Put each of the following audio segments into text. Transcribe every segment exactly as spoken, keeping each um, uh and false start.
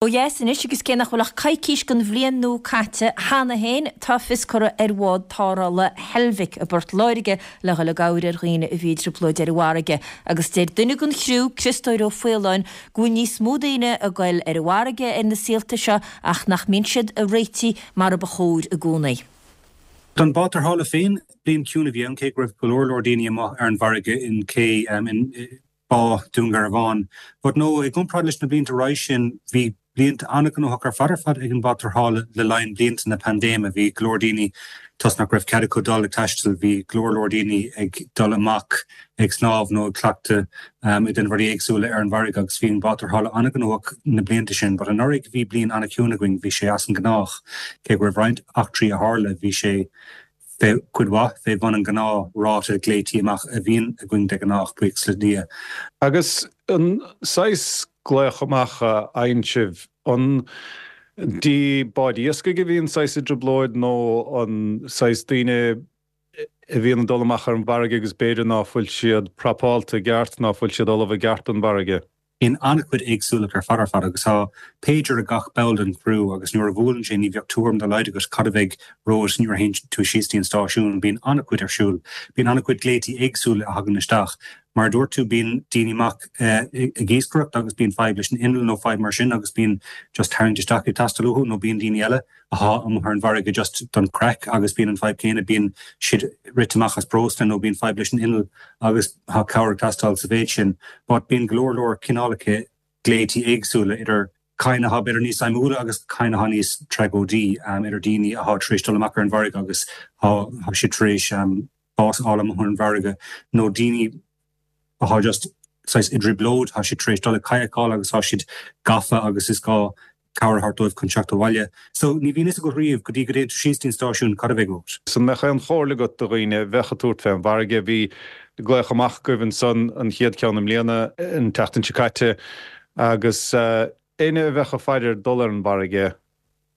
Ó dheas anois agus cé nach bhfuil ach coicís den bhliain nua caite cheana féin, tá fios curtha ar bhád tarrthála Heilbhic i bPort Láirge le dhul i gcabhair ar dhaoine a bhí i dtrioblóid ar an bhfarraige. Agus deir duine den chriú, Criostóir Ó Faoláin, go bhfuil níos mó daoine ag goil ar an bhfarraige ar na saolta seo ach nach mbíonn siad ag réitigh mar a ba chóir i gcónaí. Don bád tarrthála féin, bliain ciúin a bhí ann, cé go raibh go leor leor daoine amuigh ar an bhfarraige in cé in Bá Dún Garbhán. But no, i gcomparáid leis na blianta roimhe sin, bhí blianta an-ghnóthach ar fad ar fad ag an bád tarrthála le linn blianta na paindéime. Bhí go leor daoine, toisc nach raibh cead acu dul ag taisteal, bhí go leor leor daoine ag dul amach ag snámh nó ag cleachtadh ag déanamh rudaí éagsúla ar an bhfarraige agus bhí an bád tarrthála an-ghnóthach na blianta sin. But anuraidh bhí bliain an-chiúin againn, bhí sé as an ngnách. Cé go raibh roinnt eachtraí a tharla, bhí sé fé cuid mhaith fé bhun an gnáth ráta glaoití amach a bhíonn againn de ghnáth, buíochas le Dia. Agus an saghas glaoch amach a fhaigheann sibh, an dtí báid iascaigh a bhíonn saghas i dtrioblóid nó an saghas daoine a bhíonn ag dul amach ar an bhfarraige agus b'fhéidir ná fuil siad prapáilte i gceart, ná fuil siad ullamh i gceart don bhfarraige? Bíonn an-chuid éagsúlacht ar fad ar fad agus tá pager ag gach ball den chriú agus nuair a bhuaileann sé ní bheadh tuairim dá laghad agat cad a bheidh romhat nuair a théann tú síos dtí an stáisiún. Bíonn an-chuid ar siúl. Bíonn an-chuid glaoití éagsúla a thagann isteach. Mar a dúirt tú bíonn daoine amach ag iascaireacht agus bíonn fadhb leis an inneall nó fadhb mar sin agus bíonn just tarraingt isteach ag teastáil uathu nó bíonn daoine eile athá amuigh ar an bhfarraige just don chraic agus bíonn an fadhb céanna, bíonn siad rite amach as breosla nó bíonn fadhb leis an inneall agus tá cabhair ag teastáil sa mhéid sin. But bíonn go leor leor cineálacha glaoití éagsúla idir cinn athá b'fhéidir níos suimiúla agus cinn athá níos tragóidí, idir daoine athá tar éis dul amach ar an bhfarraige agus thá siad tar éis bás a fháil amuigh ar an bhfarraige nó daoine athá just saghas i dtrioblóid, thá siad tar éis dul ag kayakáil agus thá siad gafa agus is gá cabhair a thabhairt dóibh chun teacht abhaile. So ní bhíonn fhios agat riamh go dtí go dtéann tú síos dtí an stáisiún cad a bheidh romhat. An mbeadh aon chomhairle agat do dhaoine a bheadh ag tabhairt fén bhfarraige? Bhí glaoch amach agaibh ansan an chéad cheann i mbliana, an tseachtain seo caite, agus éinne a bheadh ag faire ar dul ar an bhfarraige,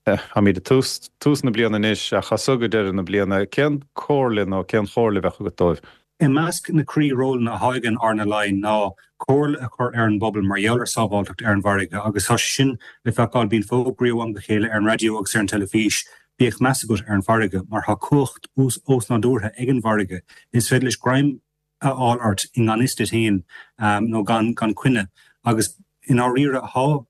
táimid ag tús, tús na bliana anois ach as so go deireadh na bliana, cén comhairle nó cén chomhairle a bheadh agat dóibh? I measc na croí-rólanna athá ag an RNLI ná comhairle a chur ar an bpobal mar gheall ar sábháilteacht ar an bhfarraige agus tá sé sin le feiceáil, bíonn fógraí ó am go chéile ar an raidió agus ar an teilifís, bíodh meas agat ar an bhfarraige mar tá cumhacht osnádúrtha ag an bhfarraige, is féidir leis greim a fháil ort i ngan fhios duit féin nó gan coinne agus i ndáiríre tá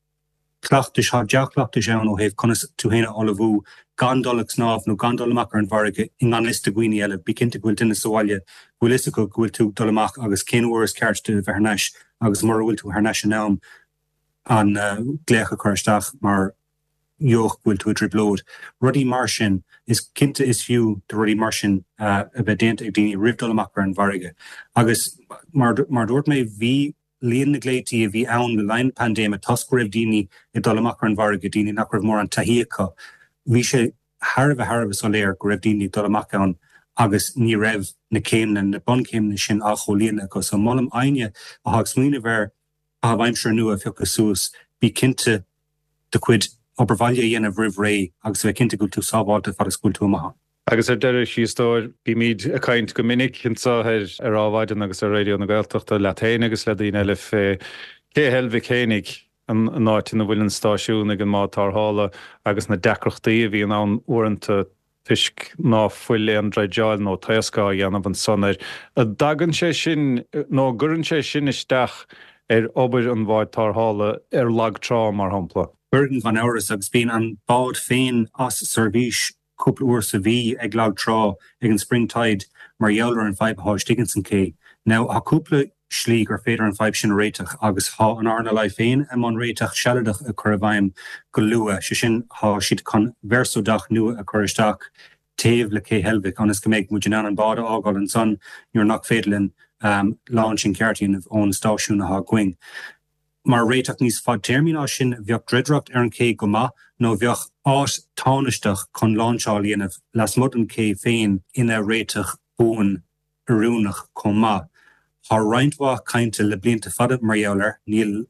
cleachtais, tá dea-chleachtais ann ó thaobh conas tú féin a ullmhú gan dul ag snámh nó gan dul amach ar an bhfarraige i ngan fhios do dhaoine eile. Bí cinnte go bhfuil duine sa bhaile go bhfuil fhios acu go bhfuil tú ag dul amach agus cén uair is ceart duit a bheith thar n-ais agus mura bhfuil tú thar n-ais in am an glaoch a chur isteach mar gheall go bhfuil tú i dtrioblóid. Rudaí mar sin. Is cinnte is fiú do rudaí mar sin a bheith déanta ag daoine roimh dul amach ar an bhfarraige. Agus mar a dúirt mé bhí líon na nglaoití a bhí ann le linn na paindéime toisc go raibh daoine ag dul amach ar an bhfarraige, daoine nach raibh mórán taithí acu, bhí sé thar a bheith thar a bheith soiléir go raibh daoine ag dul amach ann agus ní raibh na céimeanna, na bunchéimeanna sin á chomhlíonadh acu. So molaim éinne atá ag smaoineamh ar chaitheamh aimsire nua a phiocadh suas, bí cinnte do chuid obair bhaile a dhéanamh roimh ré agus a bheith cinnte go bhfuil tú sábháilte fad is go bhfuil tú amach ann. Agus ar deireadh, a Chríostóir, bímid ag caint go minic anseo ar ar Adhmhaidin agus ar Raidió na Gaeltachta leat féin agus le daoine eile fé Cé Heilbhic fhéinig, an an áit ina bhfuil an stáisiún ag an mbád tarrthála agus na deacrachtaí a bhíonn ann uaireanta toisc ná fuil aon dreideáil nó taoscadh á dhéanamh ansan air. An dtagann sé sin nó an gcuireann sé sin isteach ar obair an bháid tarrthála ar lag trá, mar shampla? Cuireann, gan amhras, agus bíonn an bád féin as seirbhís cúpla uair sa mhí ag lag trá ag an spring tide mar gheall ar an fadhb athá istigh ins an cé. Now thá cúpla slí gur féidir an fadhb sin a réiteach agus thá an RNLI féin i mbun réiteach sealadach a chur i bhfeidhm go luath, sé sin thá siad chun verso dock nua a chur isteach taobh le Cé Heilbhic ionas go mbeidh muid in ann an bád a fhágáil ansan nuair nach féidir linn launching ceart a dhéanamh ón stáisiún athá againn. Mar réiteach níos fadtéarmaí ná sin, bheadh dreidireacht ar an ché go maith nó bheadh áit tánaisteach chun láinseáil a dhéanamh lasmuigh den ché féin ina réiteach buan oiriúnach chomh maith. Tá roinnt mhaith cainte le blianta fada mar gheall air. Níl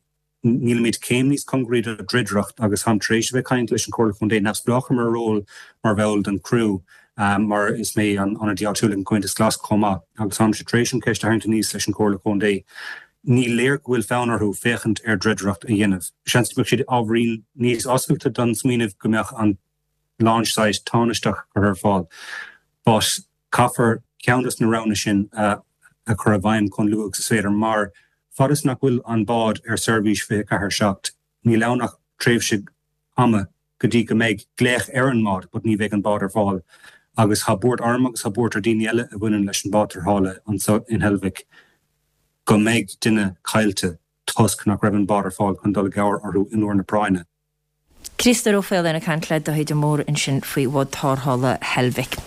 nílimid céim níos cóngaraí do dhreidireacht agus táim tar éis a bheith ag caint leis an Chomhairle Contae neamhspleách ar mo ról mar bhall den chriú mar is mé an ionadaí áitiúil ag an Comhaontas Glas chomh maith agus táimse tar éis an cheist a tharraingt aníos leis an Chomhairle Contae. Ní léir go bhfuil fonn orthu féachaint ar dreidireacht a dhéanamh. Seans go mbeadh siad ábhairín níos oscailte don smaoineamh go mbeadh an launch site tánaisteach curtha ar fáil. But caithfear ceann des na roghanna sin a chur i bhfeidhm chomh luath agus is féidir mar fad is nach bhfuil an bád ar seirbhís fiche ceathair seacht, níl ann ach tréimhse ama go dtí go mbeidh glaoch ar an mbád but ní bheidh an bád ar fáil. Agus tá buairt orm agus tá buairt ar daoine eile a bhaineann leis an bád tarrthála anseo in Heilbhic go mbeidh duine caillte toisc nach raibh an bád ar fáil chun dul i gcabhair orthu in uair na práinne. Criostóir Ó Faoláin ag caint le Dáithí de Mórdha ansin faoi bhád tarrthála Heilbhic.